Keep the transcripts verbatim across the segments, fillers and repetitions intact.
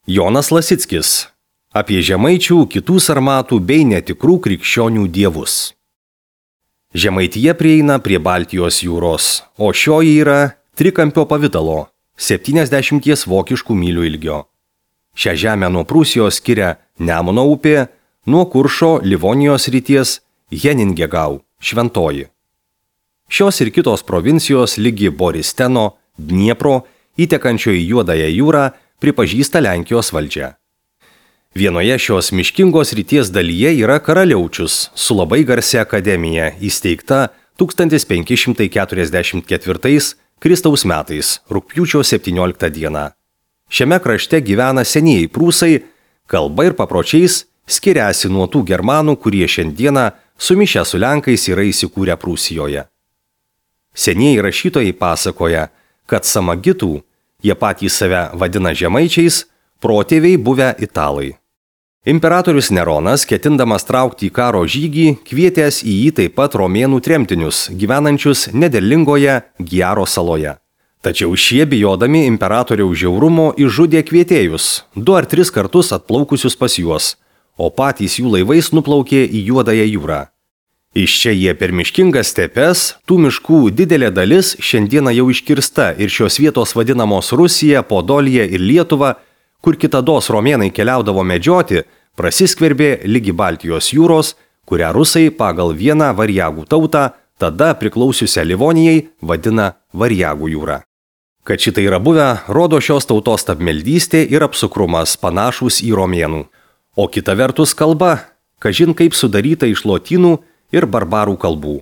Jonas Lasickis. Apie žemaičių, kitų sarmatų bei netikrų krikščionių dievus. Žemaitija prieina prie Baltijos jūros, o šioji yra trikampio pavidalo, septyniasdešimt vokiškų mylių ilgio. Šią žemę nuo Prūsijos skiria Nemuno upė, nuo Kuršo Livonijos ryties Heningegau, Šventoji. Šios ir kitos provincijos lygi Boristeno, Dniepro, įtekančio į Juodąją jūrą, pripažįsta Lenkijos valdžią. Vienoje šios miškingos ryties dalyje yra Karaliaučius su labai garsia akademija, įsteigta tūkstantis penki šimtai keturiasdešimt ketvirtais Kristaus metais, rugpjūčio septynioliktą dieną. Šiame krašte gyvena senieji prūsai, kalba ir papročiais skiriasi nuo tų germanų, kurie šiandieną sumišę su Lenkais yra įsikūrę Prūsijoje. Senieji rašytojai pasakoja, kad samagitų, jie patys save vadina žemaičiais, protėviai buvę italai. Imperatorius Neronas, ketindamas traukti į karo žygį, kvietęs į jį taip pat romėnų tremtinius, gyvenančius nederlingoje Giaro saloje. Tačiau šie, bijodami imperatoriaus žiaurumo, išžudė kvietėjus, du ar tris kartus atplaukusius pas juos, o patys jų laivais nuplaukė į Juodąją jūrą. Iš čia jie per miškingas stepes, tų miškų didelė dalis šiandieną jau iškirsta ir šios vietos vadinamos Rusija, Podolija ir Lietuva, kur kitados romėnai keliaudavo medžioti, prasiskverbė lygi Baltijos jūros, kurią rusai pagal vieną variagų tautą, tada priklausiusią Livonijai, vadina Variagų jūra. Kad šitai yra buvę, rodo šios tautos stabmeldystė ir apsukrumas panašus į romėnų. O kita vertus kalba, kažin kaip sudaryta iš lotynų ir barbarų kalbų.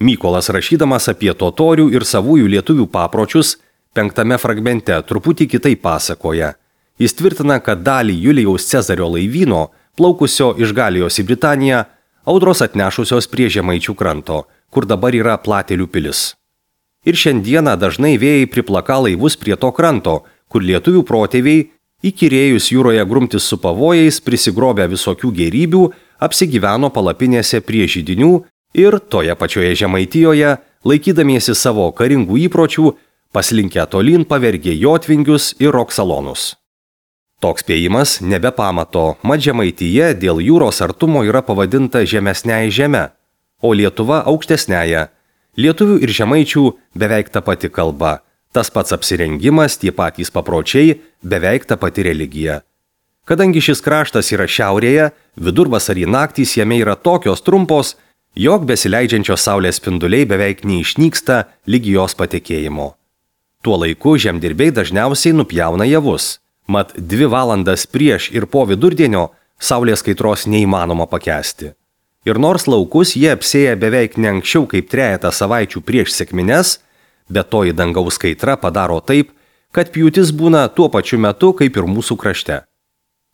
Mykolas, rašydamas apie totorių ir savųjų lietuvių papročius, penktame fragmente truputį kitaip pasakoja. Jis tvirtina, kad dalį Julijaus Cezario laivyno, plaukusio iš Galijos į Britaniją, audros atnešusios prie Žemaičių kranto, kur dabar yra Platelių pilis. Ir šiandieną dažnai vėjai priplaka laivus prie to kranto, kur lietuvių protėviai, įkyrėjus jūroje grumtis su pavojais, prisigrobę visokių gėrybių, apsigyveno palapinėse prie židinių ir toje pačioje Žemaitijoje, laikydamiesi savo karingų įpročių, paslinkę tolyn pavergė jotvingius ir roksalonus. Toks spėjimas nebe pamato, mat Žemaitija dėl jūros artumo yra pavadinta žemesniąja žeme, o Lietuva aukštesniąja. Lietuvių ir žemaičių beveik ta pati kalba, tas pats apsirengimas, tie patys papročiai, beveik ta pati religija. Kadangi šis kraštas yra šiaurėje, vidurvasarį naktys jame yra tokios trumpos, jog besileidžiančios saulės spinduliai beveik neišnyksta lygi jos patekėjimo. Tuo laiku žemdirbiai dažniausiai nupjauna javus. Mat dvi valandas prieš ir po vidurdienio saulės kaitros neįmanoma pakęsti. Ir nors laukus jie apsėja beveik ne anksčiau kaip trejetą savaičių prieš sekmines, bet toji dangaus kaitra padaro taip, kad pjūtis būna tuo pačiu metu kaip ir mūsų krašte.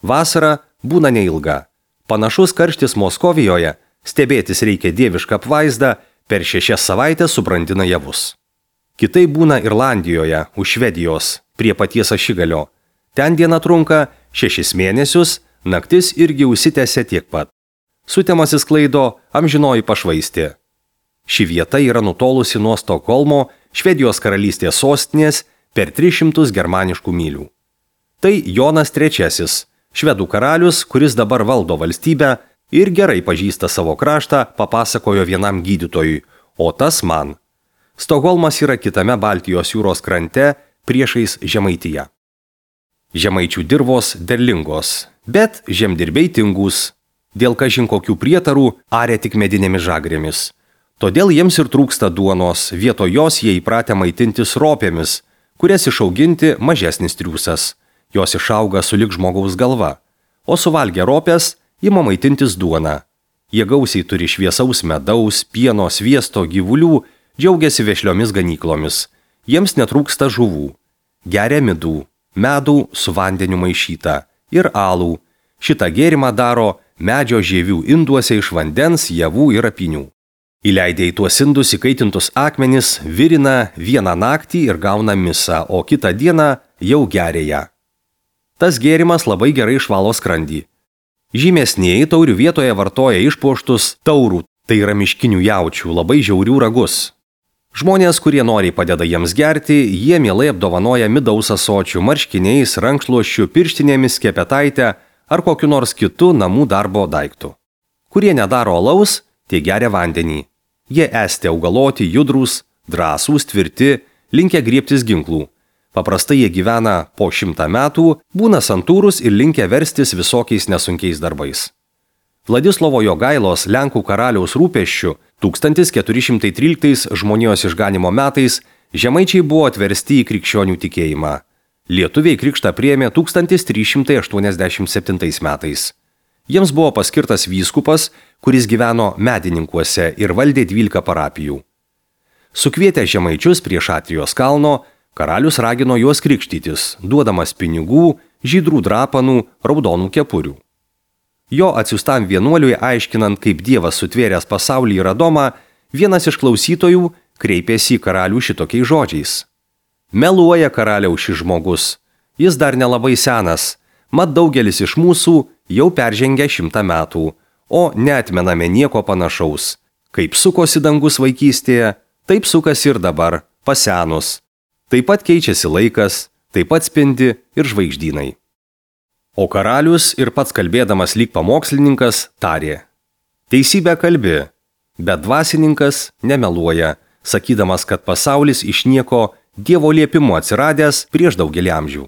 Vasara būna neilga. Panašus karštis Moskovijoje, stebėtis reikia dievišką apvaizdą, per šešias savaitės subrandina javus. Kitai būna Irlandijoje, už Švedijos, prie paties ašigalio. Ten diena trunka šešis mėnesius, naktis irgi užsitęsia tiek pat. Sutemasis sklaido amžinoji pašvaistė. Ši vieta yra nutolusi nuo Stokholmo, Švedijos karalystės sostinės, per tris šimtus germaniškų mylių. Tai Jonas trečiasis, švedų karalius, kuris dabar valdo valstybę ir gerai pažįsta savo kraštą, papasakojo vienam gydytojui, o tas man. Stokholmas yra kitame Baltijos jūros krante, priešais Žemaitiją. Žemaičių dirvos derlingos, bet žemdirbiai tingus. Dėl kažin kokių prietarų arė tik medinėmis žagrėmis. Todėl jiems ir trūksta duonos, vietoj jos jie įpratę maitintis ropėmis, kurias išauginti mažesnis triūsas. Jos išauga sulig žmogaus galva, o suvalgę ropės ima maitintis duona. Jie gausiai turi šviesaus medaus, pieno, sviesto, gyvulių, džiaugiasi vešliomis ganyklomis. Jiems netrūksta žuvų. Geria midų. Medų su vandeniu maišytą ir alų. Šitą gėrimą daro medžio žievių induose iš vandens, javų ir apinių. Įleidę į tuos indus įkaitintus akmenis, virina vieną naktį ir gauna misą, o kitą dieną jau geria ją. Tas gėrimas labai gerai išvalo skrandį. Žymesnieji taurių vietoje vartoja išpuoštus taurų, tai yra miškinių jaučių, labai žiaurių ragus. Žmonės, kurie noriai padeda jiems gerti, jie mielai apdovanoja midaus ąsočių, marškiniais, rankšluosčiu, pirštinėmis, kepetaitę ar kokiu nors kitu namų darbo daiktu. Kurie nedaro alaus, tie geria vandenį. Jie esti augaloti, judrūs, drąsūs, tvirti, linkę griebtis ginklų. Paprastai jie gyvena po šimtą metų, būna santūrus ir linkę verstis visokiais nesunkiais darbais. Vladislovo Jogailos Lenkų karaliaus rūpesčiu tūkstantis keturi šimtai tryliktais žmonijos išganimo metais žemaičiai buvo atversti į krikščionių tikėjimą. Lietuviai krikštą priėmė tūkstantis trys šimtai aštuoniasdešimt septintais metais. Jiems buvo paskirtas vyskupas, kuris gyveno Medininkuose ir valdė dvylika parapijų. Sukvietę žemaičius prie Šatrijos kalno, karalius ragino juos krikštytis, duodamas pinigų, žydrų drapanų, raudonų kepurių. Jo atsiųstam vienuoliui aiškinant, kaip Dievas sutvėręs pasaulį ir Adomą, vienas iš klausytojų kreipėsi į karalių šitokiais žodžiais. Meluoja karaliaus šis žmogus, jis dar nelabai senas, mat daugelis iš mūsų jau peržengė šimtą metų, o neatmename nieko panašaus. Kaip sukosi dangus vaikystėje, taip sukasi ir dabar, pasenus. Taip pat keičiasi laikas, taip pat spindi ir žvaigždynai. O karalius ir pats kalbėdamas lyg pamokslininkas tarė: Teisybę kalbi, bet dvasininkas nemeluoja, sakydamas, kad pasaulis iš nieko Dievo liepimu atsiradęs prieš daugelį amžių.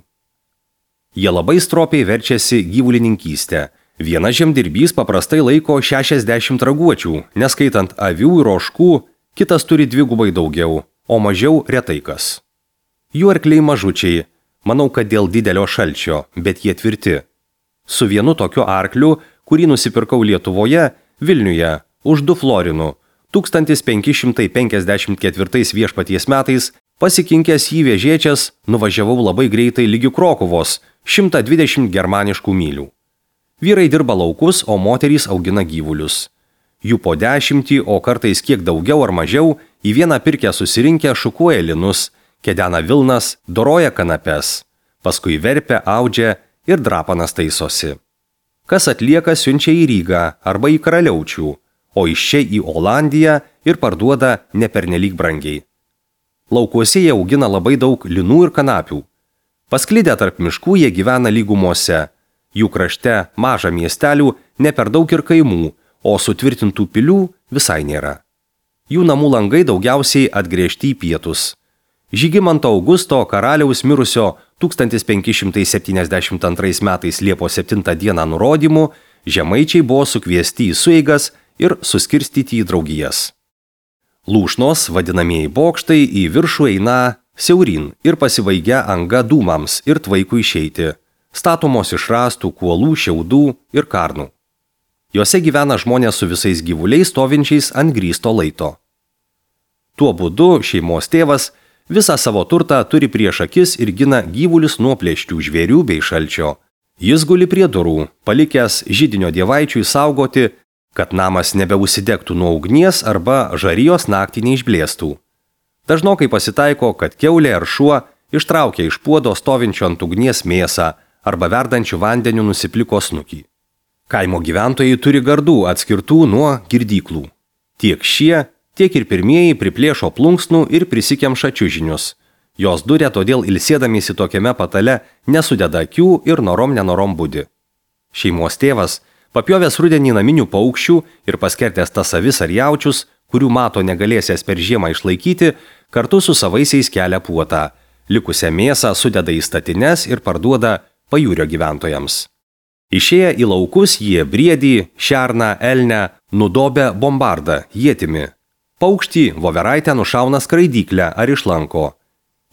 Jie labai stropiai verčiasi gyvulininkystę. Vienas žemdirbys paprastai laiko šešiasdešimt raguočių, neskaitant avių ir ožkų, kitas turi dvigubai daugiau, o mažiau retai kas. Jų arkliai mažučiai, manau, kad dėl didelio šalčio, bet jie tvirti. Su vienu tokiu arkliu, kurį nusipirkau Lietuvoje, Vilniuje, už du florinų, tūkstantis penki šimtai penkiasdešimt ketvirtais viešpaties metais, pasikinkęs jį vežėčias, nuvažiavau labai greitai lygi Krokuvos, šimtą dvidešimt germaniškų mylių. Vyrai dirba laukus, o moterys augina gyvulius. Jų po dešimtį, o kartais kiek daugiau ar mažiau, į vieną pirkę susirinkę šukuoja linus, kedena vilnas, doroja kanapes, paskui verpia, audžia ir drapanas taisosi. Kas atlieka, siunčia į Rygą arba į Karaliaučių, o iš čia į Olandiją ir parduoda nepernelyg brangiai. Laukuose jie augina labai daug linų ir kanapių. Pasklidę tarp miškų jie gyvena lygumose. Jų krašte maža miestelių, ne per daug ir kaimų, o sutvirtintų pilių visai nėra. Jų namų langai daugiausiai atgręžti į pietus. Žygimanto Augusto karaliaus mirusio tūkstantis penki šimtai septyniasdešimt antrais metais Liepos septintą dieną nurodymu, žemaičiai buvo sukviesti į sueigas ir suskirstyti į draugijas. Lūšnos, vadinamieji bokštai, į viršų eina siaurin ir pasibaigia anga dūmams ir tvaikų išeiti, statomos iš rąstų, kuolų, šiaudų ir karnų. Jose gyvena žmonės su visais gyvuliais stovinčiais ant grįsto laito. Tuo būdu šeimos tėvas visą savo turtą turi prieš akis ir gina gyvulius nuo plėšrių žvėrių bei šalčio. Jis guli prie durų, palikęs židinio dievaičiui saugoti, kad namas nebeužsidegtų nuo ugnies arba žarijos naktį neišblėstų. Dažnokai pasitaiko, kad kiaulė ar šuo ištraukia iš puodo stovinčio ant ugnies mėsą arba verdančių vandeniu nusipliko snukį. Kaimo gyventojai turi gardų atskirtų nuo girdyklų. Tiek šie, tiek ir pirmieji priplėšo plunksnų ir prisikemša čiužinius. Jos duria, todėl ilsėdamiesi tokiame patale nesudeda akių ir norom nenorom budi. Šeimos tėvas, papjovęs rudenį naminių paukščių ir paskertęs tas avis ar jaučius, kurių mato negalėsęs per žiemą išlaikyti, kartu su savaisiais kelia puotą. Likusią mėsą sudeda į statines ir parduoda pajūrio gyventojams. Išėję į laukus jie briedį, šerną, elnę nudobia bombardą, ietimi. Paukštį, voveraitę nušauna skraidyklę ar išlanko.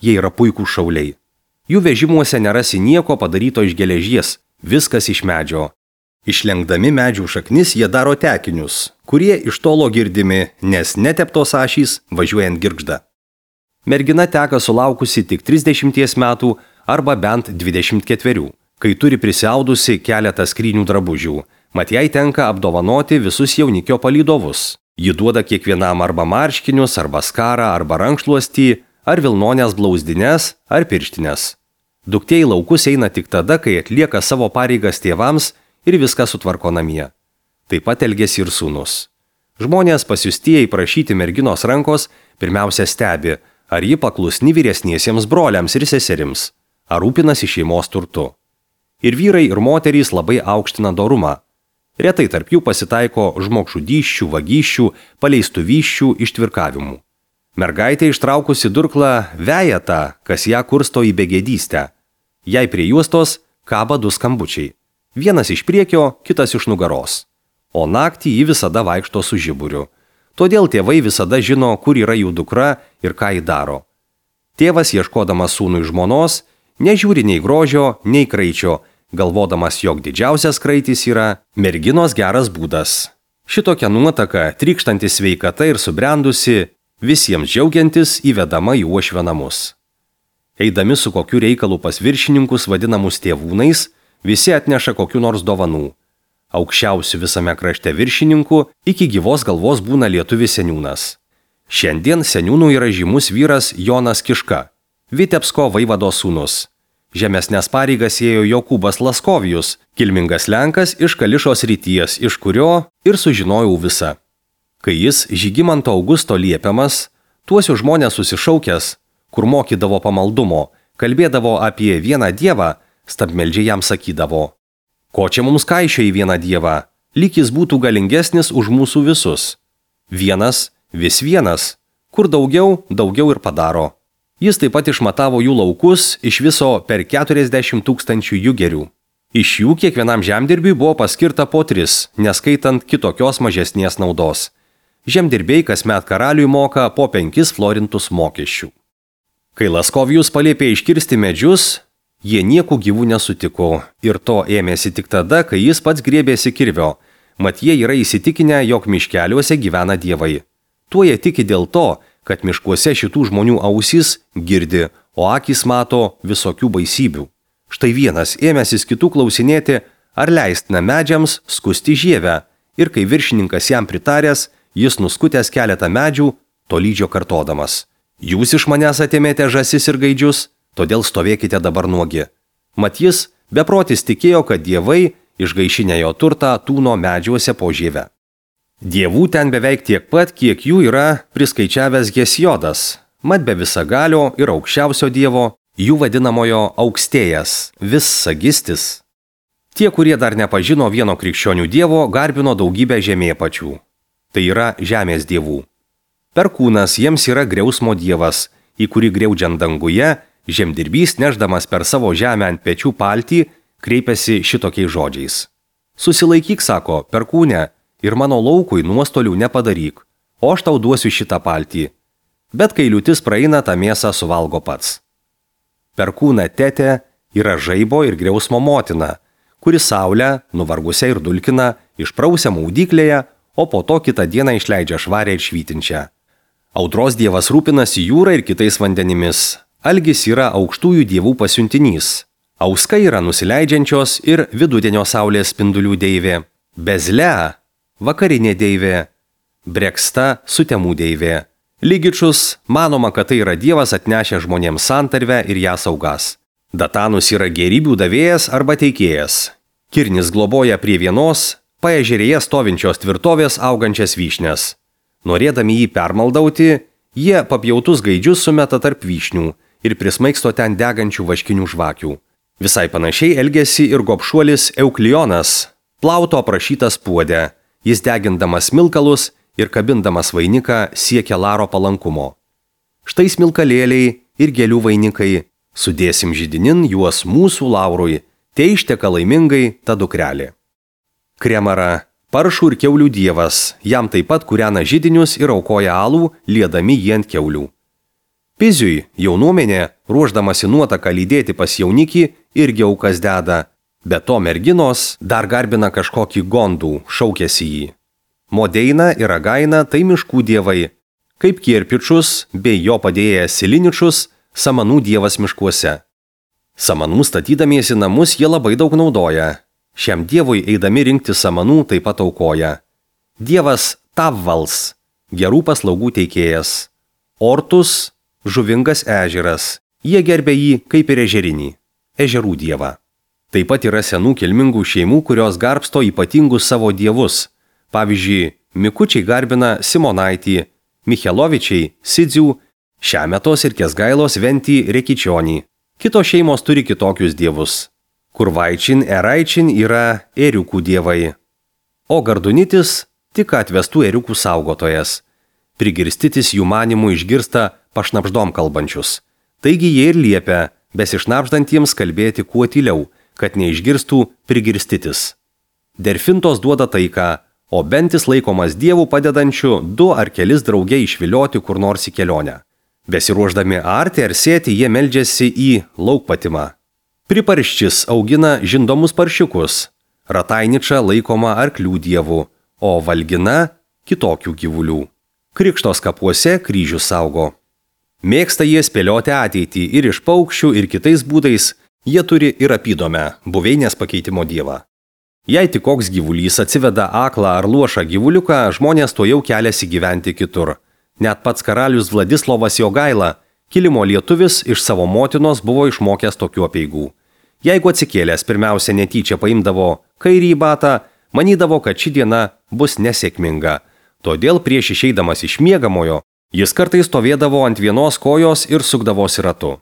Jie yra puikūs šauliai. Jų vežimuose nerasi nieko padaryto iš geležies, viskas iš medžio. Išlenkdami medžių šaknis jie daro tekinius, kurie iš tolo girdimi, nes neteptos ašys važiuojant girgžda. Mergina teka sulaukusi tik trisdešimties metų arba bent dvidešimt ketverių, kai turi prisiaudusi keletą skrynių drabužių, mat jai tenka apdovanoti visus jaunikio palydovus. Ji duoda kiekvienam arba marškinius, arba skarą, arba rankšluostį, ar vilnonės blauzdines, ar pirštinės. Duktė į laukus eina tik tada, kai atlieka savo pareigas tėvams ir viską sutvarko namie. Taip pat elgiasi ir sūnus. Žmonės pasiustieji prašyti merginos rankos pirmiausia stebi, ar ji paklusni vyresniesiems broliams ir seserims, ar rūpinasi šeimos turtu. Ir vyrai ir moterys labai aukština dorumą. Retai tarp jų pasitaiko žmogžudysčių, vagysčių, paleistuvysčių, ištvirkavimų. Mergaitė ištraukusi durklą veja tą, kas ją kursto į begėdystę. Jai prie juostos kaba du skambučiai. Vienas iš priekio, kitas iš nugaros. O naktį ji visada vaikšto su žiburiu. Todėl tėvai visada žino, kur yra jų dukra ir ką ji daro. Tėvas, ieškodamas sūnui žmonos, nežiūri nei grožio, nei kraičio, galvodamas, jog didžiausias kraitis yra merginos geras būdas. Šitokia nuotaka, trykštanti sveikata ir subrendusi, visiems džiaugiantis įvedama į uošvio namus. Eidami su kokiu reikalu pas viršininkus vadinamus tėvūnais, visi atneša kokiu nors dovanų. Aukščiausių visame krašte viršininkų iki gyvos galvos būna lietuvis seniūnas. Šiandien seniūnų yra žymus vyras Jonas Kiška, Vitebsko vaivados sūnus. Žemesnės pareigas ėjo Jokūbas Laskovijus, kilmingas lenkas iš Kališos ryties, iš kurio ir sužinojau visą. Kai jis Žygimanto Augusto liepiamas, tuosius žmonės susišaukęs, kur mokydavo pamaldumo, kalbėdavo apie vieną dievą, stabmeldžiai jam sakydavo: ko čia mums kaišio į vieną dievą, lyg jis būtų galingesnis už mūsų visus. Vienas, vis vienas, kur daugiau, daugiau ir padaro. Jis taip pat išmatavo jų laukus iš viso per keturiasdešimt tūkstančių jugerių. Iš jų kiekvienam žemdirbiui buvo paskirta po tris, neskaitant kitokios mažesnės naudos. Žemdirbiai kasmet karaliui moka po penkis florintus mokesčių. Kai Laskovijus paliepė iškirsti medžius, jie nieko gyvų nesutiko ir to ėmėsi tik tada, kai jis pats griebėsi kirvio, mat jie yra įsitikinę, jog miškeliuose gyvena dievai. Tuo jie tiki dėl to, kad miškuose šitų žmonių ausys girdi, o akys mato visokių baisybių. Štai vienas ėmėsis kitų klausinėti, ar leistina medžiams skusti žievę, ir kai viršininkas jam pritaręs, jis nuskutęs keletą medžių, tolydžio kartodamas: jūs iš manęs atėmėte žąsis ir gaidžius, todėl stovėkite dabar nuogi. Mat jis beprotis tikėjo, kad dievai išgaišinę jo turtą tūno medžiuose po žievę. Dievų ten beveik tiek pat, kiek jų yra priskaičiavęs Hesiodas, mat be visagalio ir aukščiausio dievo, jų vadinamojo aukstėjas, vissagistis. Tie, kurie dar nepažino vieno krikščionių dievo, garbino daugybę žemėpačių. Tai yra žemės dievų. Perkūnas jiems yra griausmo dievas, į kurį griaudžiant danguje, žemdirbys neždamas per savo žemę ant pečių paltį, kreipiasi šitokiais žodžiais: susilaikyk, sako, perkūne, ir mano laukui nuostolių nepadaryk, o aš tau duosiu šitą paltį. Bet kai liūtis praeina, tą mėsą suvalgo pats. Perkūna tetė yra žaibo ir griausmo motina, kuri saulę, nuvargusią ir dulkina, išprausia maudyklėje, o po to kitą dieną išleidžia švarę ir švytinčią. Audros dievas rūpinasi jūra ir kitais vandenimis. Algis yra aukštųjų dievų pasiuntinys. Auska yra nusileidžiančios ir vidudienio saulės spindulių deivė. Bezle vakarinė deivė. Breksta sutemų deivė. Lygičus manoma, kad tai yra dievas atnešę žmonėms santarvę ir ją saugas. Datanus yra gėrybių davėjas arba teikėjas. Kirnis globoja prie vienos paežerėje stovinčios tvirtovės augančias vyšnes. Norėdami jį permaldauti, jie papjautus gaidžius sumeta tarp vyšnių ir prismaigsto ten degančių vaškinių žvakių. Visai panašiai elgėsi ir gobšuolis Euklijonas, plauto aprašytas puode. Jis degindamas smilkalus ir kabindamas vainiką siekia Laro palankumo. Štai smilkalėliai ir gėlių vainikai, sudėsim židinin juos mūsų Laurui, te išteka laimingai ta dukrelė. Kremara, paršų ir kiaulių dievas, jam taip pat kūrena židinius ir aukoja alų, liedami jį ant kiaulių. Piziui jaunuomenė, ruoždamasi nuotaką lydėti pas jaunikį, irgi aukas deda, bet to merginos dar garbina kažkokį gondų, šaukėsi jį. Modeina ir Againa tai miškų dievai, kaip Kirpičus bei jo padėjęs Siliničus, samanų dievas miškuose. Samanų statydamiesi namus jie labai daug naudoja. Šiam dievui eidami rinkti samanų taip pat aukoja. Dievas Tavvals, gerų paslaugų teikėjas. Ortus, žuvingas ežeras, jie gerbė jį kaip ir ežerinį, ežerų dievą. Taip pat yra senų kilmingų šeimų, kurios garbsto ypatingus savo dievus. Pavyzdžiui, Mikučiai garbina Simonaitį, Michelovičiai Sidzių, Šemetos ir Kesgailos Ventį Rekičionį. Kitos šeimos turi kitokius dievus. Kurvaičin, Eraičin yra ėriukų dievai. O Gardunitis tik atvestų ėriukų saugotojas. Prigirstitis jų manimų išgirsta pašnapždom kalbančius. Taigi jie ir liepia besišnapždantiems kalbėti kuo tyliau, kad neišgirstų prigirstitis. Derfintos duoda taiką, o Bentis laikomas dievų padedančių du ar kelis drauge išvilioti kur nors į kelionę. Besiruoždami arti ar sėti, jie meldžiasi į laukpatimą. Priparščis augina žindomus paršiukus, Ratainiča laikoma arklių dievų, o Valgina kitokių gyvulių. Krikštos kapuose kryžių saugo. Mėgsta jie spėlioti ateitį ir iš paukščių ir kitais būdais jie turi ir apydomę buveinės pakeitimo dievą. Jei tik koks gyvulys atsiveda aklą ar luošą gyvuliuką, žmonės to jau keliasi gyventi kitur. Net pats karalius Vladislovas Jogaila, kilimo lietuvis, iš savo motinos buvo išmokęs tokių apeigų. Jeigu atsikėlęs pirmiausia netyčia paimdavo kairį batą, manydavo, kad ši diena bus nesėkminga. Todėl prieš išeidamas iš miegamojo, jis kartais stovėdavo ant vienos kojos ir sukdavosi ratu.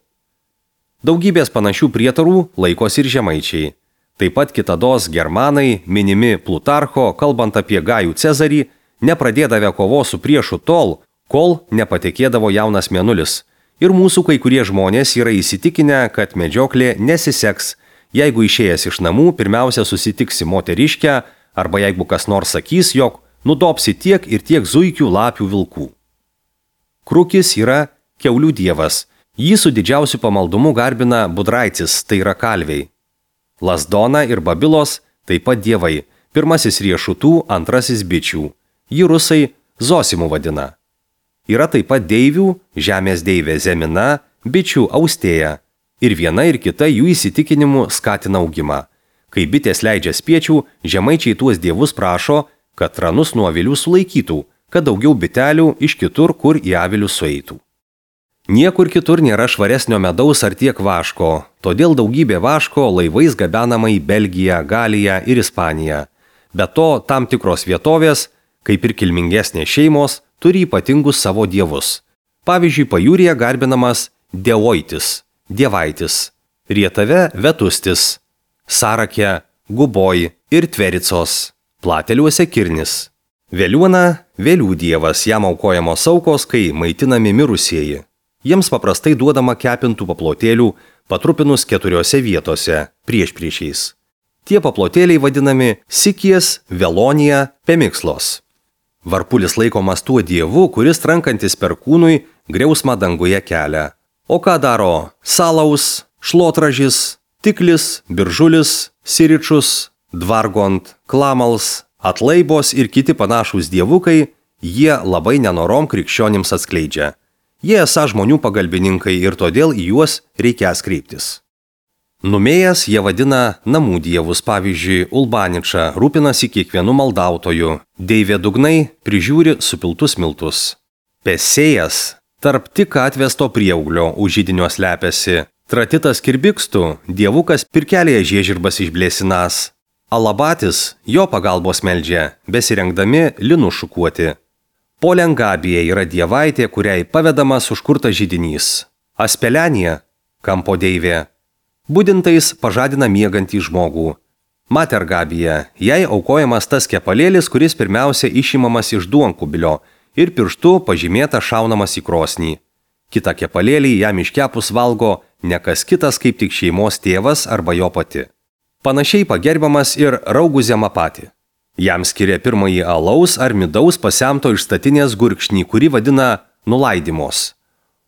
Daugybės panašių prietarų laikosi ir žemaičiai. Taip pat kitados germanai, minimi Plutarcho, kalbant apie Gajų Cezarį, nepradėdavę kovos su priešu tol, kol nepatekėdavo jaunas mėnulis. Ir mūsų kai kurie žmonės yra įsitikinę, kad medžioklė nesiseks, jeigu išėjęs iš namų pirmiausia susitiksi moteriškę, arba jeigu kas nors sakys, jog nudopsi tiek ir tiek zuikių, lapių, vilkų. Krukis yra kiaulių dievas. Jį su didžiausiu pamaldumu garbina Budraitis, tai yra kalviai. Lazdona ir Babilos taip pat dievai. Pirmasis riešutų, antrasis bičių. Jį rusai Zosimu vadina. Yra taip pat deivių, žemės deivė Zemina, bičių Austėja. Ir viena ir kita jų įsitikinimu skatina augimą. Kai bitės leidžia spiečių, žemaičiai tuos dievus prašo, kad ranus nuo avilių sulaikytų, kad daugiau bitelių iš kitur, kur į avilius sueitų. Niekur kitur nėra švaresnio medaus ar tiek vaško, todėl daugybė vaško laivais gabenama į Belgiją, Galiją ir Ispaniją. Be to, tam tikros vietovės, kaip ir kilmingesnės šeimos, turi ypatingus savo dievus. Pavyzdžiui, pajūryje garbinamas Devoitis, Dievaitis, Rietave Vetustis, Sarake Guboj ir Tvericos, Plateliuose Kirnis. Veliuona Vėlių dievas, jam aukojamos aukos, kai maitinami mirusieji. Jiems paprastai duodama kepintų paplotėlių, patrupinus keturiose vietose, priešpriešiais. Tie paplotėliai vadinami Sikijas, Velonija, Pemikslos. Varpulis laikomas tuo dievu, kuris trankantis per kūnui griausmą danguje kelia. O ką daro Salaus, Šlotražis, Tiklis, Biržulis, Siričus, Dvargont, Klamals, Atlaibos ir kiti panašūs dievukai, jie labai nenorom krikščionims atskleidžia. Jie esą žmonių pagalbininkai ir todėl į juos reikės kreiptis. Numėjęs jie vadina namų dievus, pavyzdžiui, Ulbaniča rūpinasi kiekvienu maldautoju, deivė Dugnai prižiūri supiltus miltus. Pesėjas tarp tik atvesto prieauglio už židinio slepiasi, Tratitas Kirbikstų dievukas pirkelėje žiežirbas išblėsinas, Alabatis jo pagalbos meldžia, besirengdami linų šukuoti. Polengabija yra dievaitė, kuriai pavedamas užkurtas židinys. Aspelenija – kampo deivė. Budintais pažadina miegantį žmogų. Matergabija – jai aukojamas tas kepalėlis, kuris pirmiausia išimamas iš duonkubilio ir pirštu pažymėta šaunamas į krosnį. Kita kepalėlį jam iškepus valgo ne kas kitas kaip tik šeimos tėvas arba jo pati. Panašiai pagerbiamas ir Raugų Zemapati. Jam skiria pirmąjį alaus ar midaus pasemto iš statinės gurkšnį, kurį vadina nulaidimos.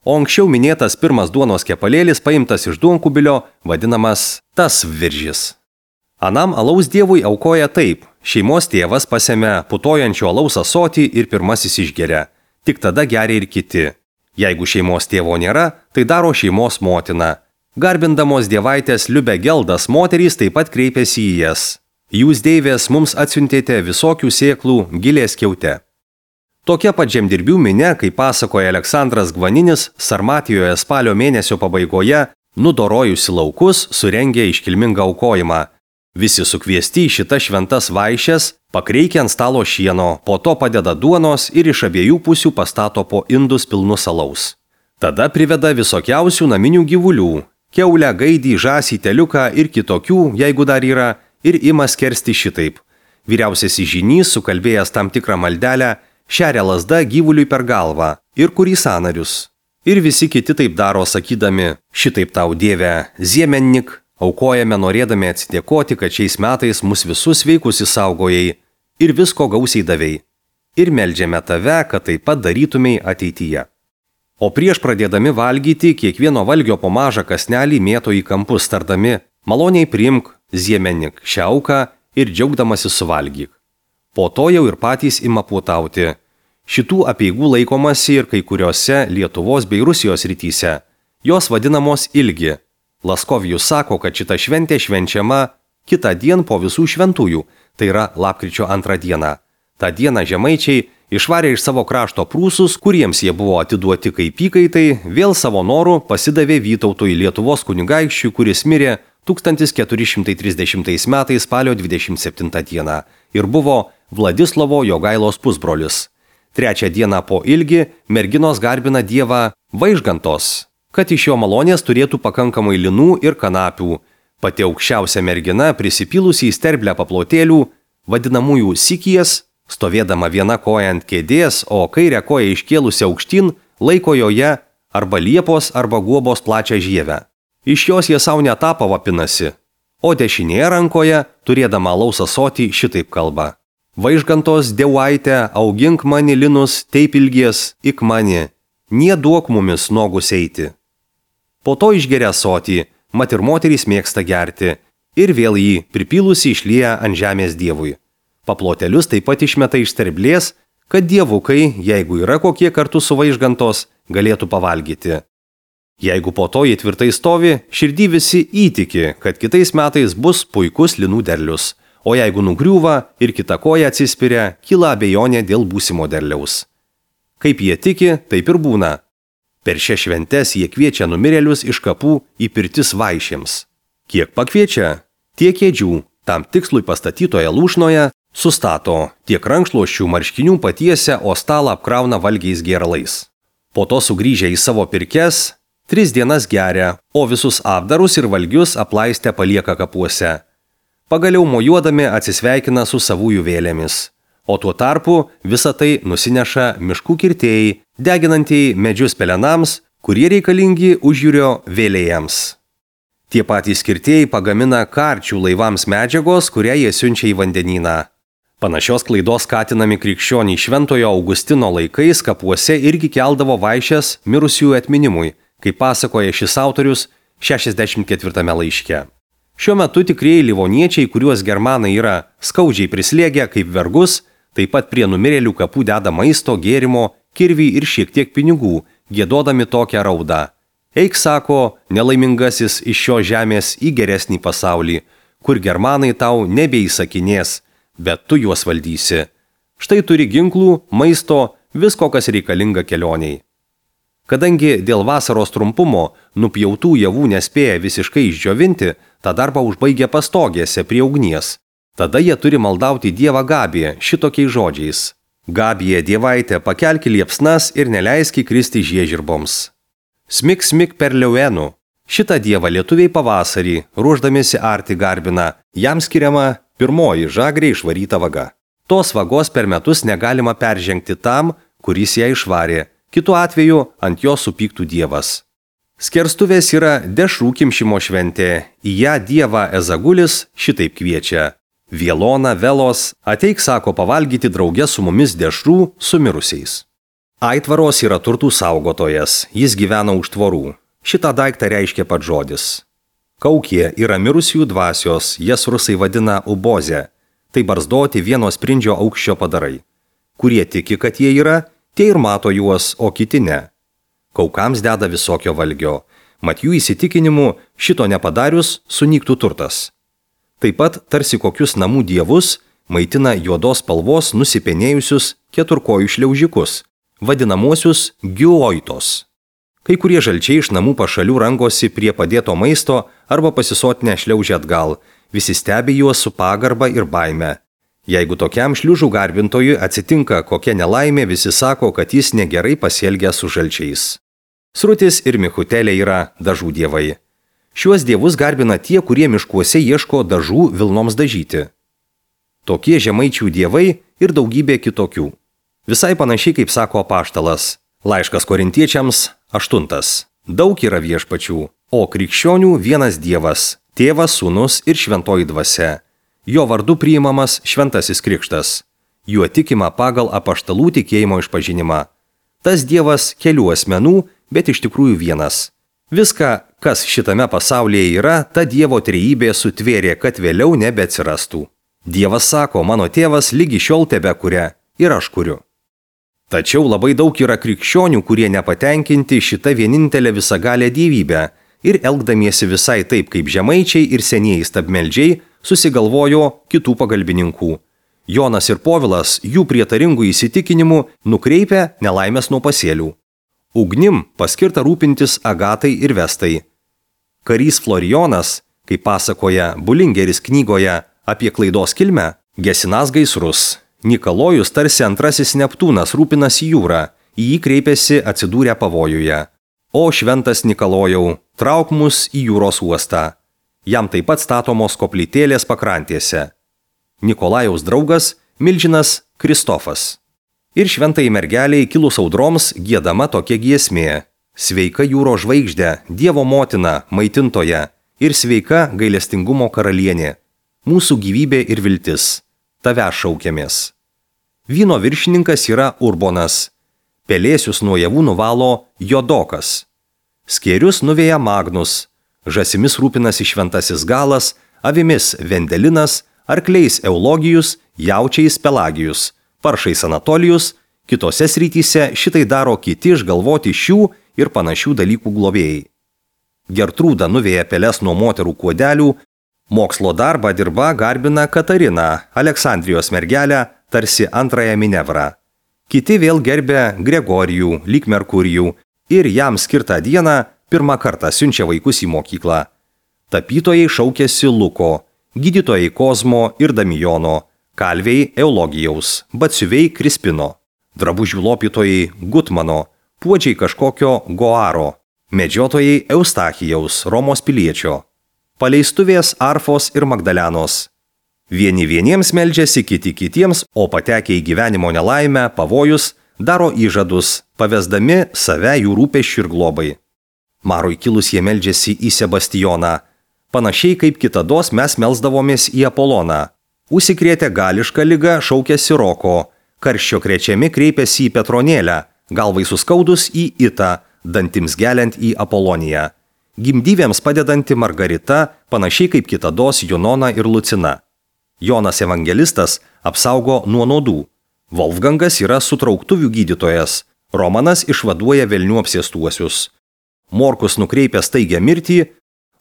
O anksčiau minėtas pirmas duonos kepalėlis paimtas iš duonkubilio vadinamas tas viržis. Anam alaus dievui aukoja taip, šeimos tėvas pasemia putojančio alaus ąsotį ir pirmasis išgeria, tik tada geria ir kiti. Jeigu šeimos tėvo nėra, tai daro šeimos motina. Garbindamos dievaitės Liubė Geldas moterys taip pat kreipiasi į jas. Jūs deivės mums atsiuntėte visokių sėklų gilės kiaute. Tokia pat žemdirbių minia, kaip pasakoja Aleksandras Gvaninis, Sarmatijoje spalio mėnesio pabaigoje, nudorojusi laukus, surengė iškilmingą aukojimą. Visi sukviesti į šitas šventas vaišes, pakreikia ant stalo šieno, po to padeda duonos ir iš abiejų pusių pastato po indus pilnus alaus. Tada priveda visokiausių naminių gyvulių – kiaulę, gaidį, žąsį, teliuką ir kitokių, jeigu dar yra, ir ima skersti šitaip. Vyriausiasis žynys, sukalbėjęs tam tikrą maldelę, šeria lazda gyvuliui per galvą ir kurį sąnarius. Ir visi kiti taip daro, sakydami, šitaip tau Dieve, ziemennik, aukojame norėdami atsidėkoti, kad šiais metais mus visus sveikus įsaugojai ir visko gausiai davei. Ir meldžiame tave, kad taip pat darytumei ateityje. O prieš pradėdami valgyti, kiekvieno valgio po mažą kasnelį mėto į kampus, tardami, maloniai priimk, ziemennik, šią auką ir džiaugdamasi suvalgyk. Po to jau ir patys ima puotauti. Šitų apeigų laikomasi ir kai kuriuose Lietuvos bei Rusijos rytyse. Jos vadinamos ilgi. Laskovijus sako, kad šita šventė švenčiama kitą dieną po visų šventųjų, tai yra lapkričio antrą dieną. Ta dieną žemaičiai išvarė iš savo krašto prūsus, kuriems jie buvo atiduoti kaip įkaitai, vėl savo norų pasidavė Vytautui Lietuvos kunigaikščiui, kuris mirė tūkstantis keturi šimtai trisdešimtais metais spalio dvidešimt septintą dieną ir buvo Vladislovo Jogailos pusbrolis. Trečią dieną po ilgi merginos garbina dievą Vaižgantos, kad iš jo malonės turėtų pakankamai linų ir kanapių. Pati aukščiausia mergina, prisipylusi į sterblę paplotėlių, vadinamųjų sikijas, stovėdama viena koja ant kėdės, o kairę koją iškėlusi aukštyn, laiko joje arba liepos arba guobos plačią žievę. Iš jos jie savo netapą vapinasi, o dešinėje rankoje, turėdama alaus ąsotį, šitaip kalba. Vaižgantos dievaitė, augink mani linus, taip ilgies, ik mani, nie duok mumis nogus eiti. Po to išgeria ąsotį, mat ir moterys mėgsta gerti, ir vėl jį pripylusi išlieja ant žemės dievui. Paplotelius taip pat išmeta iš sterblės, kad dievukai, jeigu yra kokie kartu su Vaižgantos, galėtų pavalgyti. Jeigu po to jie tvirtai stovi, širdį visi įtiki, kad kitais metais bus puikus linų derlius, o jeigu nugriūva ir kita koja atsispiria, kyla abejonė dėl būsimo derliaus. Kaip jie tiki, taip ir būna. Per šias šventes jie kviečia numirėlius iš kapų į pirtis vaišėms. Kiek pakviečia, tiek kėdžių, tam tikslui pastatytoje lūšnoje, sustato, tiek rankšluosčių marškinių patiesia, o stalą apkrauna valgiais gėralais. Po to sugrįžę į savo pirkes, tris dienas geria, o visus apdarus ir valgius aplaistę palieka kapuose. Pagaliau mojuodami atsisveikina su savųjų vėlėmis. O tuo tarpu visą tai nusineša miškų kirtėjai, deginantieji medžius pelenams, kurie reikalingi užjūrio vėlėjams. Tie patys kirtėjai pagamina karčių laivams medžiagos, kurią jie siunčia į vandenyną. Panašios klaidos skatinami krikščioniai Šventojo Augustino laikais kapuose irgi keldavo vaišes mirusiųjų atminimui, kaip pasakoja šis autorius šešiasdešimt ketvirtame laiške. Šiuo metu tikrieji livoniečiai, kuriuos germanai yra skaudžiai prislėgę kaip vergus, taip pat prie numirėlių kapų deda maisto, gėrimo, kirvį ir šiek tiek pinigų, giedodami tokią raudą. Eik, sako, nelaimingasis iš šios žemės į geresnį pasaulį, kur germanai tau nebeįsakinės, bet tu juos valdysi. Štai turi ginklų, maisto, visko, kas reikalinga kelioniai. Kadangi dėl vasaros trumpumo nupjautų javų nespėja visiškai išdžiovinti, tą darbą užbaigia pastogėse prie ugnies. Tada jie turi maldauti dievą Gabiją šitokiais žodžiais. Gabija, dievaitė, pakelki liepsnas ir neleiski kristi žiežirboms. Smik, smik per liauenų. Šitą dievą lietuviai pavasarį, ruošdamiesi arti garbina, jam skiriama pirmoji žagrė išvaryta vaga. Tos vagos per metus negalima peržengti tam, kuris ją išvarė, kitu atveju ant jo supyktų dievas. Skerstuvės yra dešrų kimšimo šventė, į ją dievą Ezagulis šitaip kviečia. Vielona, Velos, ateik, sako, pavalgyti drauge su mumis dešrų su mirusiais. Aitvaros yra turtų saugotojas, jis gyvena už tvorų. Šitą daiktą reiškia pats žodis. Kaukė yra mirusiųjų dvasios, jas rusai vadina ubozė. Tai barzdoti vieno sprindžio aukščio padarai. Kurie tiki, kad jie yra, tie ir mato juos, o kiti ne. Kaukams deda visokio valgio. Mat jų įsitikinimu, šito nepadarius, sunyktų turtas. Taip pat tarsi kokius namų dievus maitina juodos spalvos nusipenėjusius keturkojų šliaužikus, vadinamuosius giuoitos. Kai kurie žalčiai iš namų pašalių rangosi prie padėto maisto arba pasisotinę šliaužia atgal, visi stebi juos su pagarba ir baime. Jeigu tokiam šliužų garbintojui atsitinka kokia nelaimė, visi sako, kad jis negerai pasielgia su žalčiais. Srutis ir Michutelė yra dažų dievai. Šiuos dievus garbina tie, kurie miškuose ieško dažų vilnoms dažyti. Tokie žemaičių dievai ir daugybė kitokių. Visai panašiai kaip sako apaštalas. Laiškas korintiečiams aštuntas. Daug yra viešpačių, o krikščionių vienas dievas, tėvas, sūnus ir šventoji dvasia. Jo vardu priimamas šventasis krikštas. Juo tikima pagal apaštalų tikėjimo išpažinimą. Tas dievas kelių asmenų, bet iš tikrųjų vienas. Viską, kas šitame pasaulyje yra, ta Dievo trejybė sutvėrė, kad vėliau nebeatsirastų. Dievas sako, mano tėvas lygi šiol tebekuria ir aš kuriu. Tačiau labai daug yra krikščionių, kurie nepatenkinti šitą vienintelę visagalę dievybę ir elgdamiesi visai taip kaip žemaičiai ir senieji stabmeldžiai susigalvojo kitų pagalbininkų. Jonas ir Povilas jų prietaringų įsitikinimų nukreipia nelaimės nuo pasėlių. Ugnim paskirta rūpintis Agatai ir Vestai. Karys Florijonas, kaip pasakoja Bulingeris knygoje apie klaidos kilmę, gesinas gaisrus. Nikolojus tarsi antrasis Neptūnas rūpinasi jūrą, į jį kreipiasi atsidūrę pavojuje. O šventas Nikolojau, trauk mus į jūros uostą. Jam taip pat statomos koplytėlės pakrantėse. Nikolajaus draugas milžinas Kristofas. Ir šventai mergeliai kilus audroms giedama tokia giesmė. Sveika jūro žvaigždė, Dievo motina, maitintoja ir sveika gailestingumo karalienė. Mūsų gyvybė ir viltis. Tave šaukiamės. Vyno viršininkas yra Urbonas. Pelėsius nuo javų nuvalo Jodokas. Skėrius nuveja Magnus. Žasimis rūpinasi šventasis Galas, avimis Vendelinas, arkliais Eulogijus, jaučiais Pelagijus, paršais Anatolijus, kitose srityse šitai daro kiti išgalvoti šių ir panašių dalykų globėjai. Gertrūda nuveja peles nuo moterų kuodelių, mokslo darbą dirba garbina Katarina, Aleksandrijos mergelę, tarsi antrąją Minevrą. Kiti vėl gerbia Gregorijų, lyg Merkurijų ir jam skirtą dieną pirmą kartą siunčia vaikus į mokyklą. Tapytojai šaukėsi Luko, gydytojai Kozmo ir Damijono, kalviai Eulogijaus, batsiuviai Krispino, drabužių lopytojai Gutmano, puodžiai kažkokio Goaro, medžiotojai Eustachijaus, Romos piliečio, paleistuvės Arfos ir Magdalenos. Vieni vieniems meldžiasi, kiti kitiems, o patekę į gyvenimo nelaimę, pavojus, daro įžadus, pavesdami save jų rūpesčių ir globai. Marui kilus jie meldžiasi į Sebastijoną. Panašiai kaip kitados mes melsdavomės į Apoloną. Užsikrėtę gališką ligą šaukėsi Roko, karščio krečiami kreipėsi į Petronėlę, galvai suskaudus į Itą, dantims geliant į Apoloniją. Gimdyvėms padedanti Margarita, panašiai kaip kitados Junona ir Lucina. Jonas evangelistas apsaugo nuo nuodų. Wolfgangas yra sutrauktuvių gydytojas. Romanas išvaduoja velnių apsėstuosius. Morkus nukreipia staigią mirtį,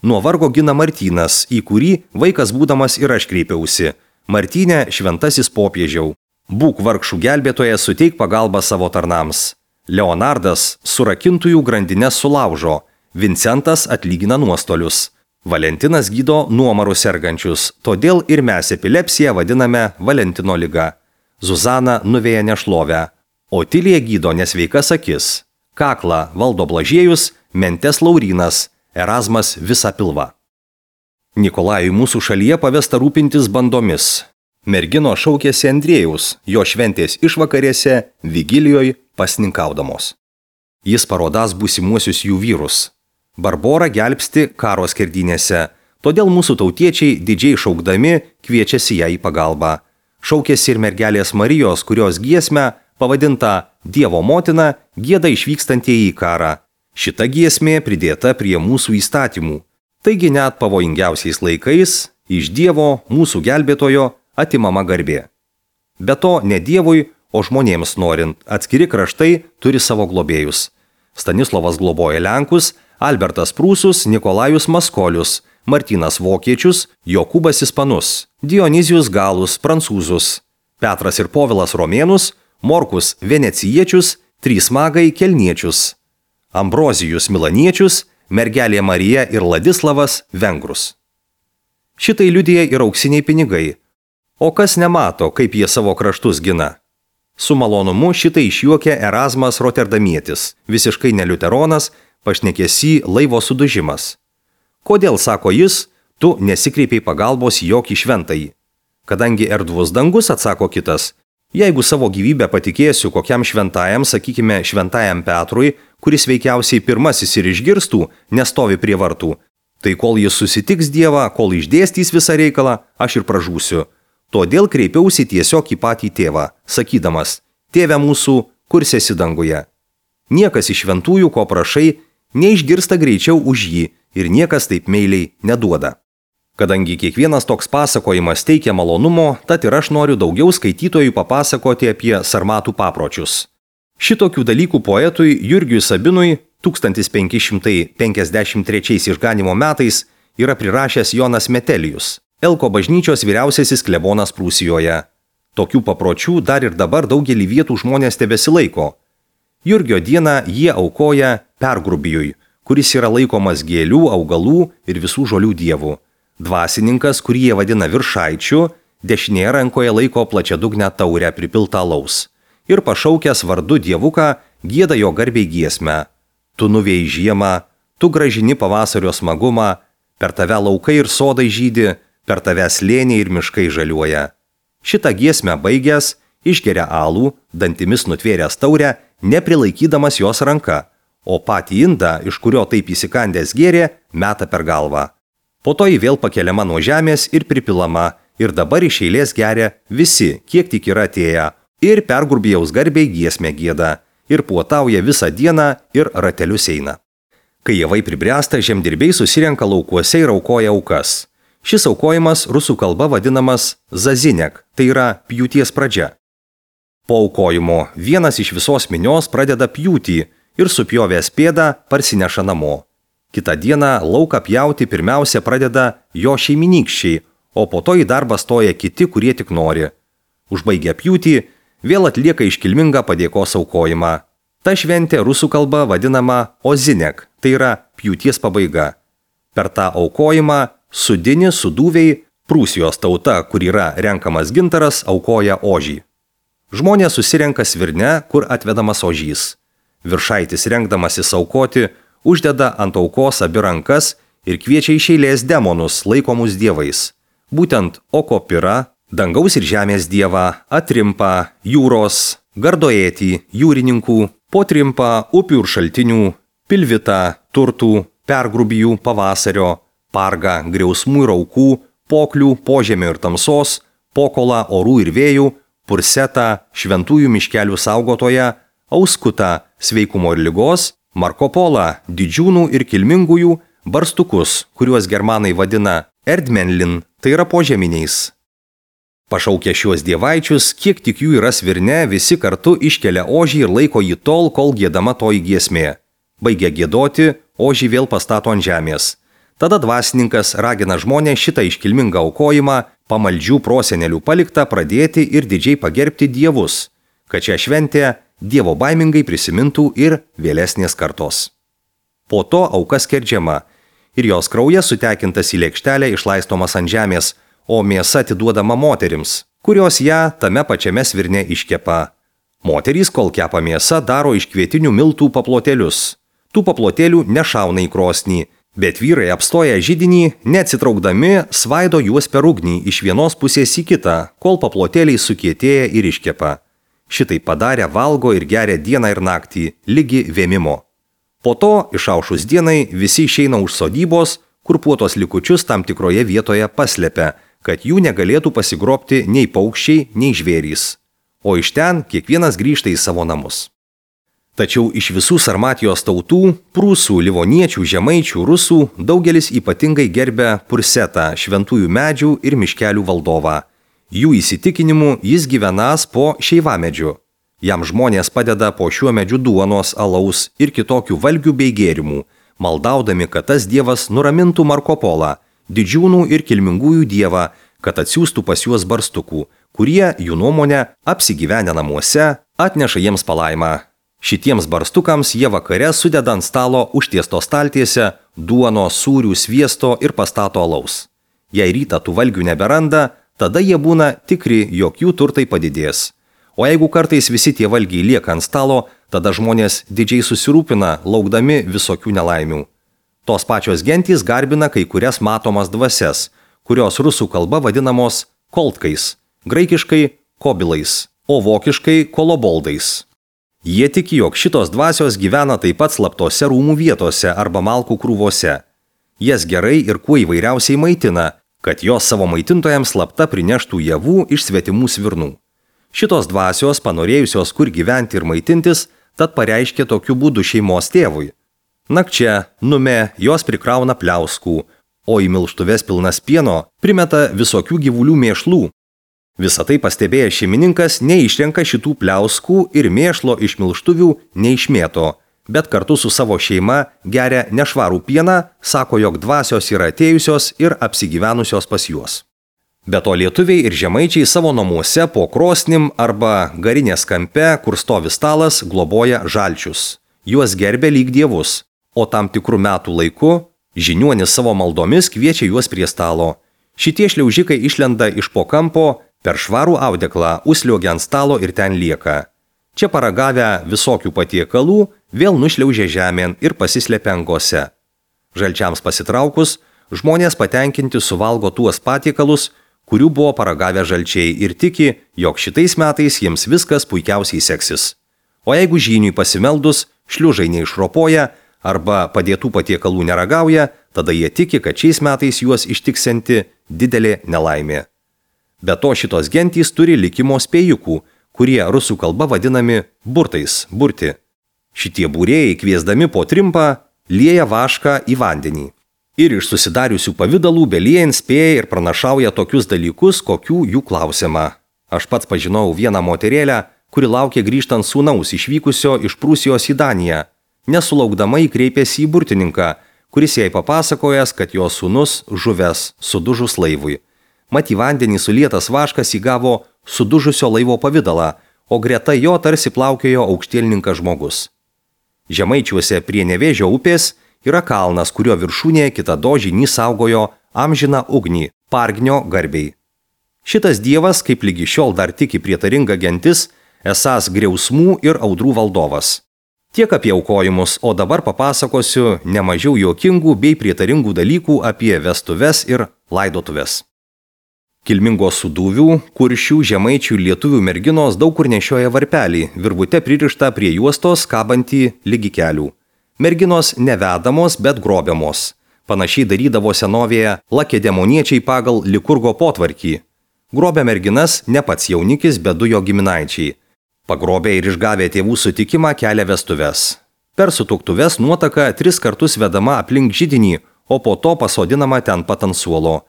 nuo vargo gina Martynas, į kurį vaikas būdamas ir aš kreipiausi. Martynė šventasis popiežiau. Būk vargšų gelbėtojas, suteik pagalbą savo tarnams. Leonardas surakintųjų grandines sulaužo. Vincentas atlygina nuostolius. Valentinas gydo nuomarų sergančius, todėl ir mes epilepsiją vadiname Valentino liga. Zuzana nuveja nešlovę. Otilija gydo nesveikas akis. Kaklą valdo Blažiejus, Mentes Laurynas, Erasmas visą pilvą. Nikolajui mūsų šalyje pavesta rūpintis bandomis. Mergino šaukėsi Andriejaus, jo šventės išvakarėse, vigilijoje pasninkaudamos. Jis parodas būsimuosius jų vyrus. Barbora gelbsti karo skerdynėse, todėl mūsų tautiečiai didžiai šaukdami kviečiasi ją į pagalbą. Šaukėsi ir mergelės Marijos, kurios giesmę, pavadinta Dievo motina, gieda išvykstantieji į karą. Šita giesmė pridėta prie mūsų įstatymų. Taigi net pavojingiausiais laikais iš Dievo, mūsų gelbėtojo, atimama garbė. Be to, ne Dievui, o žmonėms norint, atskiri kraštai turi savo globėjus. Stanislovas globoja Lenkus, Albertas Prūsus, Nikolajus Maskolius, Martynas Vokiečius, Jokūbas Ispanus, Dionizijus Galus, Prancūzus, Petras ir Povilas Romėnus, Morkus Venecijiečius, trys magai Kelniečius, Ambrozijus Milaniečius, mergelė Marija ir Ladislavas Vengrus. Šitai liudija ir auksiniai pinigai. O kas nemato, kaip jie savo kraštus gina? Su malonumu šitai išjuokė Erazmas Roterdamietis, visiškai neliuteronas, pašnekėsi laivo sudužimas. Kodėl, sako jis, tu nesikreipiai pagalbos į jokį šventąjį? Kadangi erdvus dangus, atsako kitas, jeigu savo gyvybę patikėsiu kokiam šventajam, sakykime, šventajam Petrui, kuris veikiausiai pirmasis ir išgirstų, nestovi prie vartų, tai kol jis susitiks Dievą, kol išdėstys visą reikalą, aš ir pražūsiu. Todėl kreipiausi tiesiog į patį tėvą, sakydamas, tėve mūsų, kur esi danguje. Niekas iš šventųjų, ko prašai, neišgirsta greičiau už jį ir niekas taip meiliai neduoda. Kadangi kiekvienas toks pasakojimas teikia malonumo, tad ir aš noriu daugiau skaitytojų papasakoti apie sarmatų papročius. Šitokių dalykų poetui Jurgiui Sabinui tūkstantis penki šimtai penkiasdešimt trečiais išganimo metais yra prirašęs Jonas Metelijus, Elko bažnyčios vyriausiasis klebonas Prūsijoje. Tokių papročių dar ir dabar daugelį vietų žmonės tebesilaiko. Jurgio dieną jie aukoja Pergrubijui, kuris yra laikomas gėlių, augalų ir visų žolių dievų. Dvasininkas, kurį jie vadina viršaičiu, dešinėje rankoje laiko plačiadugnę taurę pripiltą alaus. Ir pašaukęs vardu dievuką, gieda jo garbiai giesmę. Tu nuvėjai žiemą, tu gražini pavasario smagumą, per tave laukai ir sodai žydi, per tave slėniai ir miškai žaliuoja. Šitą giesmę baigęs, išgeria alų, dantimis nutvėręs taurę, neprilaikydamas jos ranka, o patį indą, iš kurio taip įsikandęs gėrė, meta per galvą. Po to jį vėl pakeliama nuo žemės ir pripilama, ir dabar iš eilės geria visi, kiek tik yra atėję, ir Pergrubijaus garbiai giesmę gieda, ir puotauja visą dieną ir ratelius eina. Kai javai pribręsta, žemdirbiai susirenka laukuose ir aukoja aukas. Šis aukojimas rusų kalba vadinamas zazinek, tai yra pjūties pradžia. Po aukojimo vienas iš visos minios pradeda pjūtį ir supjovęs pėdą parsineša namo. Kitą dieną lauką pjauti pirmiausia pradeda jo šeiminykščiai, o po to į darbą stoja kiti, kurie tik nori. Užbaigę pjūtį, vėl atlieka iškilmingą padėkos aukojimą. Ta šventė rusų kalba vadinama ozinek, tai yra pjūties pabaiga. Per tą aukojimą sudini, sudūviai, Prūsijos tauta, kur yra renkamas gintaras, aukoja ožį. Žmonės susirenka svirne, kur atvedamas ožys. Viršaitis rengdamasis aukoti, uždeda ant aukos abi rankas ir kviečia iš eilės demonus, laikomus dievais. Būtent Okopira, dangaus ir žemės dievą, Atrimpą, jūros, Gardoėtį, jūrininkų, Potrimpą, upių ir šaltinių, Pilvitą, turtų, Pergrubijų, pavasario, Pargą, griausmų ir aukų, Poklių, požemio ir tamsos, Pokolą, orų ir vėjų, Pursetą, šventųjų miškelių saugotoją, Auskutą, sveikumo ir ligos, Markopolą, didžiūnų ir kilmingųjų, barstukus, kuriuos germanai vadina Erdmenlin, tai yra požeminiais. Pašaukę šiuos dievaičius, kiek tik jų yra svirne, visi kartu iškelia ožį ir laiko jį tol, kol giedama toji giesmė. Baigia giedoti, ožį vėl pastato ant žemės. Tada dvasininkas ragina žmonės šitą iškilmingą aukojimą, pamaldžių prosenelių paliktą pradėti ir didžiai pagerbti dievus, kad šią šventę dievo baimingai prisimintų ir vėlesnės kartos. Po to auka skerdžiama ir jos kraujas sutekintas į lėkštelę išlaistomas ant žemės, o mėsa atiduodama moterims, kurios ją tame pačiame svirne iškepa. Moterys, kol kepa mėsą, daro iš kvietinių miltų paplotėlius. Tų paplotėlių nešauna į krosnį, bet vyrai apstoja židinį, neatsitraukdami, svaido juos per ugnį iš vienos pusės į kitą, kol paplotėliai sukietėja ir iškepa. Šitai padarę valgo ir geria dieną ir naktį, ligi vėmimo. Po to, išaušus dienai, visi išeina už sodybos, kur puotos likučius tam tikroje vietoje paslepia, kad jų negalėtų pasigrobti nei paukščiai, nei žvėrys. O iš ten kiekvienas grįžta į savo namus. Tačiau iš visų Sarmatijos tautų, prūsų, livoniečių, žemaičių, rusų, daugelis ypatingai gerbia Pursetą, šventųjų medžių ir miškelių valdovą. Jų įsitikinimu jis gyvenas po šeivamedžiu. Jam žmonės padeda po šiuo medžiu duonos, alaus ir kitokių valgių bei gėrimų, maldaudami, kad tas dievas nuramintų Markopolą, didžiūnų ir kilmingųjų dievą, kad atsiųstų pas juos barstukų, kurie, jų nuomonė, apsigyvenę namuose, atneša jiems palaimą. Šitiems barstukams jie vakare sudeda ant stalo užtiesto staltiese duono, sūrių, sviesto ir pastato alaus. Jei rytą tų valgių neberanda, tada jie būna tikri, jog jų turtai padidės. O jeigu kartais visi tie valgiai lieka ant stalo, tada žmonės didžiai susirūpina, laukdami visokių nelaimių. Tos pačios gentys garbina kai kurias matomas dvasias, kurios rusų kalba vadinamos koltkais, graikiškai kobilais, o vokiškai koloboldais. Jie tiki, jog šitos dvasios gyvena taip pat slaptose rūmų vietose arba malkų krūvose. Jas gerai ir kuo įvairiausiai maitina, kad jos savo maitintojams slapta prineštų javų iš svetimų svirnų. Šitos dvasios, panorėjusios kur gyventi ir maitintis, tad pareiškė tokiu būdu šeimos tėvui. Nakčia, nume, jos prikrauna pliauskų, o į milštuves pilnas pieno primeta visokių gyvulių mėšlų. Visą tai pastebėjęs šeimininkas neišrenka šitų pliauskų ir mėšlo iš milštuvių neišmėto, bet kartu su savo šeima geria nešvarų pieną, sako, jog dvasios yra atėjusios ir apsigyvenusios pas juos. Be to lietuviai ir žemaičiai savo namuose po krosnim arba garinės kampe, kur stovi stalas, globoja žalčius. Juos gerbia lyg dievus, o tam tikrų metų laiku žiniuonis savo maldomis kviečia juos prie stalo. Šitie šliaužikai išlenda iš po kampo, per švarų audeklą užsliuogia ant stalo ir ten lieka. Čia paragavę visokių patiekalų, vėl nušliaužia žemėn ir pasislepia angose. Žalčiams pasitraukus, žmonės patenkinti suvalgo tuos patiekalus, kurių buvo paragavę žalčiai ir tiki, jog šitais metais jiems viskas puikiausiai seksis. O jeigu žyniui pasimeldus, šliužai neišropoja arba padėtų patiekalų neragauja, tada jie tiki, kad šiais metais juos ištiksianti didelė nelaimė. Be to šitos gentys turi likimo spėjukų, kurie rusų kalba vadinami burtais, burti. Šitie būrėjai kviesdami po trimpą lieja vašką į vandenį. Ir iš susidariusių pavidalų beliejant spėja ir pranašauja tokius dalykus, kokių jų klausiama. Aš pats pažinau vieną moterėlę, kuri laukė grįžtant sūnaus išvykusio iš Prūsijos į Daniją. Nesulaukdama įkreipėsi į burtininką, kuris jai papasakojęs, kad jos sūnus žuvęs sudužus laivui. Mat į vandenį sulietas vaškas įgavo sudužusio laivo pavidalą, o greta jo tarsi plaukiojo aukštielninkas žmogus. Žemaičiuose prie Nevėžio upės yra kalnas, kurio viršūnėje kitado žynys saugojo amžiną ugnį, Pargnio garbei. Šitas dievas, kaip lygi šiol dar tiki prietaringa gentis, esąs griausmų ir audrų valdovas. Tiek apie aukojimus, o dabar papasakosiu nemažiau juokingų bei prietaringų dalykų apie vestuves ir laidotuves. Kilmingos Sūduvių, Kuršių, Žemaičių ir lietuvių merginos daug kur nešioja varpelį, virvute pririštą prie juostos kabantį lygi kelių. Merginos nevedamos, bet grobiamos. Panašiai darydavo senovėje lakedemoniečiai pagal likurgo potvarkį. Grobė merginas ne pats jaunikis, bet du jo giminaičiai. Pagrobė ir išgavę tėvų sutikimą kelia vestuves. Per sutuktuves nuotaka tris kartus vedama aplink židinį, o po to pasodinama ten pat ant suolo.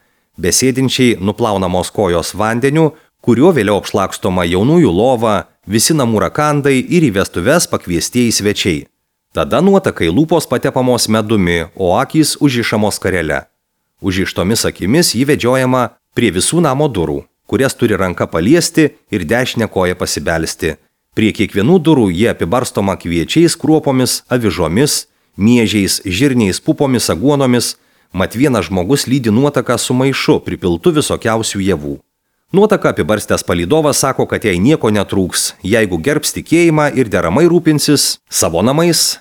Besėdinčiai nuplaunamos kojos vandeniu, kuriuo vėliau apšlakstoma jaunųjų lova, visi namų rakandai ir į vestuves pakviestieji svečiai. Tada nuotakai lūpos patepamos medumi, o akys užrišamos karele. Užrištomis akimis jį vedžiojama prie visų namo durų, kurias turi ranka paliesti ir dešinę koją pasibelsti. Prie kiekvienų durų jie apibarstoma kviečiais, kruopomis, avižomis, miežiais, žirniais, pupomis, aguonomis, mat vienas žmogus lydi nuotaką su maišu pripiltu visokiausių javų. Nuotaka apibarstęs palydovas sako, kad jai nieko netrūks, jeigu gerbs tikėjimą ir deramai rūpinsis savo namais.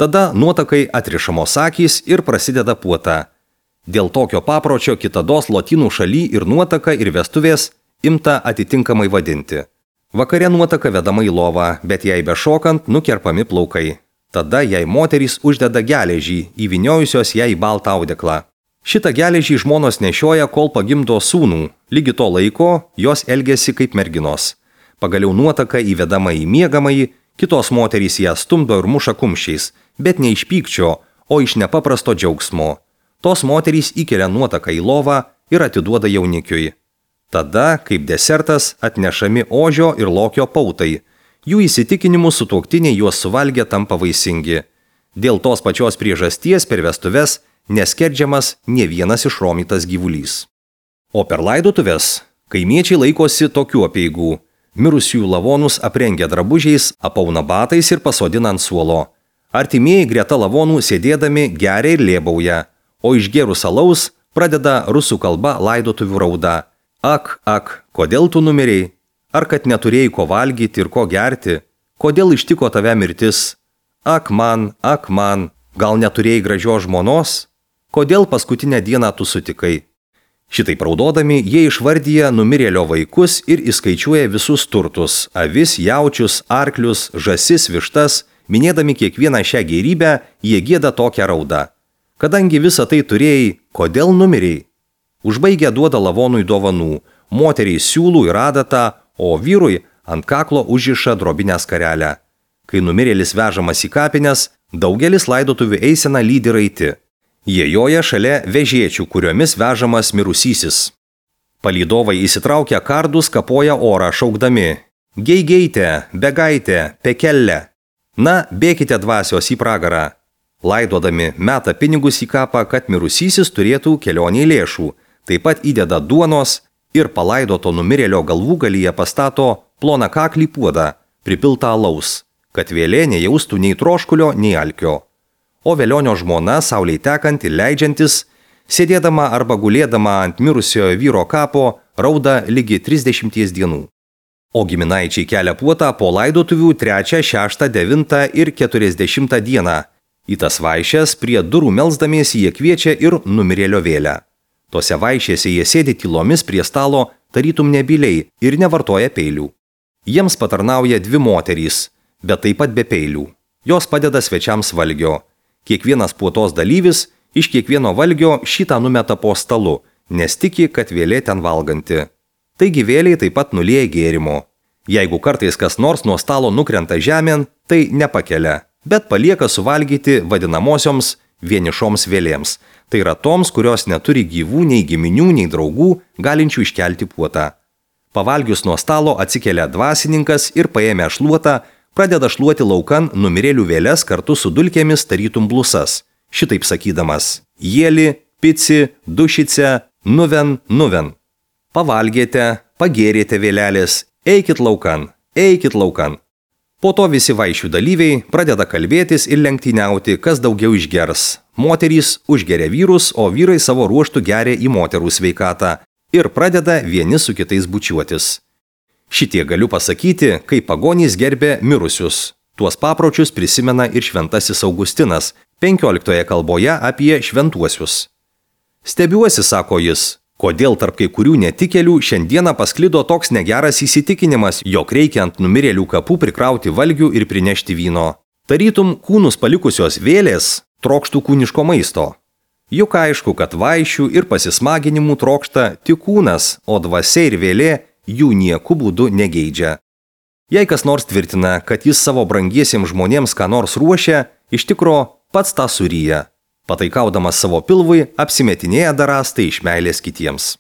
Tada nuotakai atrišamos akys ir prasideda puota. Dėl tokio papročio kitados lotynų šaly ir nuotaka ir vestuvės imta atitinkamai vadinti. Vakare nuotaka vedama į lovą, bet jai bešokant nukerpami plaukai. Tada jai moterys uždeda geležį, įvyniojusios ją į baltą audeklą. Šitą geležį žmonos nešioja, kol pagimdo sūnų. Lygi to laiko jos elgiasi kaip merginos. Pagaliau nuotaka įvedama į miegamąjį, kitos moterys ją stumdo ir muša kumščiais, bet ne iš pykčio, o iš nepaprasto džiaugsmo. Tos moterys įkelia nuotaką į lovą ir atiduoda jaunikiui. Tada, kaip desertas, atnešami ožio ir lokio pautai. Jų įsitikinimu sutuoktiniai juos suvalgę tampa vaisingi. Dėl tos pačios priežasties per vestuves neskerdžiamas nė vienas išromytas gyvulys. O per laidotuves kaimiečiai laikosi tokių apeigų. Mirusiųjų lavonus aprengia drabužiais, apauna batais ir pasodina ant suolo. Artimieji greta lavonų sėdėdami geria ir lėbauja, o išgėrus alaus Pradeda rusų kalba laidotuvių rauda. Ak, ak, kodėl tu numirei? Ar kad neturėjai ko valgyti ir ko gerti? Kodėl ištiko tave mirtis? Ak man, ak man, gal neturėjai gražios žmonos? Kodėl paskutinę dieną tu sutikai? Šitaip raudodami, jie išvardyja numirėlio vaikus ir įskaičiuoja visus turtus – avis, jaučius, arklius, žąsis, vištas. Minėdami kiekvieną šią gėrybę, jie gieda tokią raudą. Kadangi visą tai turėjai, kodėl numirėjai? Užbaigę duoda lavonui dovanų, moteriai siūlų ir adatą, o vyrui ant kaklo užriša drobinę skarelę. Kai numirėlis vežamas į kapines, daugelis laidotuvių eiseną lydi raiti. Jie joja šalia vežėčių, kuriomis vežamas mirusysis. Palydovai įsitraukę kardus kapoja orą šaukdami: Geigeite, begaite, pekelle. Na, bėkite dvasios į pragarą. Laidodami meta pinigus į kapą, kad mirusysis turėtų kelioniai lėšų. Taip pat įdeda duonos ir palaidoto numirėlio galvūgalyje pastato ploną kaklį puodą, pripiltą alaus, kad vėlė nejaustų nei troškulio, nei alkio. O velionio žmona, saulei tekant ir leidžiantis, sėdėdama arba gulėdama ant mirusiojo vyro kapo, rauda lygi trisdešimties dienų. O giminaičiai kelia puotą po laidotuvių trečią, šeštą, devintą ir keturiasdešimtą dieną. Į tas vaišes prie durų melsdamiesi jie kviečia ir numirėlio vėlę. Tose vaišėse jie sėdi tylomis prie stalo, tarytum nebyliai ir nevartoja peilių. Jiems patarnauja dvi moterys, bet taip pat be peilių. Jos padeda svečiams valgio. Kiekvienas puotos dalyvis iš kiekvieno valgio šitą numeta po stalu, nes tiki, kad vėlė ten valganti. Taigi vėliai taip pat nulieja gėrimo. Jeigu kartais kas nors nuo stalo nukrenta žemėn, tai nepakelia, bet palieka suvalgyti vadinamosioms vienišoms vėlėms. Tai yra toms, kurios neturi gyvų nei giminių, nei draugų, galinčių iškelti puotą. Pavalgius nuo stalo atsikelia dvasininkas ir paėmė šluotą, pradeda šluoti laukan numirėlių vėles kartu su dulkėmis tarytum blusas, šitaip sakydamas: Jėli, pici, dušice, nuven, nuven. Pavalgėte, pagėrėte vėlelės, eikit laukan, eikit laukan. Po to visi vaišių dalyviai pradeda kalbėtis ir lenktyniauti, kas daugiau išgers. Moterys užgeria vyrus, o vyrai savo ruoštų geria į moterų sveikatą ir pradeda vieni su kitais bučiuotis. Šitie galiu pasakyti, kai pagonys gerbė mirusius. Tuos papročius prisimena ir šventasis Augustinas penkioliktoje kalboje apie šventuosius. Stebiuosi, sako jis, kodėl tarp kai kurių netikėlių šiandieną pasklido toks negeras įsitikinimas, jog reikia ant numirėlių kapų prikrauti valgių ir prinešti vyno. Tarytum kūnus palikusios vėlės trokštų kūniško maisto. Juk aišku, kad vaišių ir pasismaginimų trokšta tik kūnas, o dvasia ir vėlė jų nieku būdu negeidžia. Jei kas nors tvirtina, kad jis savo brangiesiems žmonėms ką nors ruošia, iš tikro pats tą suryja. Pataikaudamas savo pilvui, apsimetinėja darąs tai iš meilės kitiems.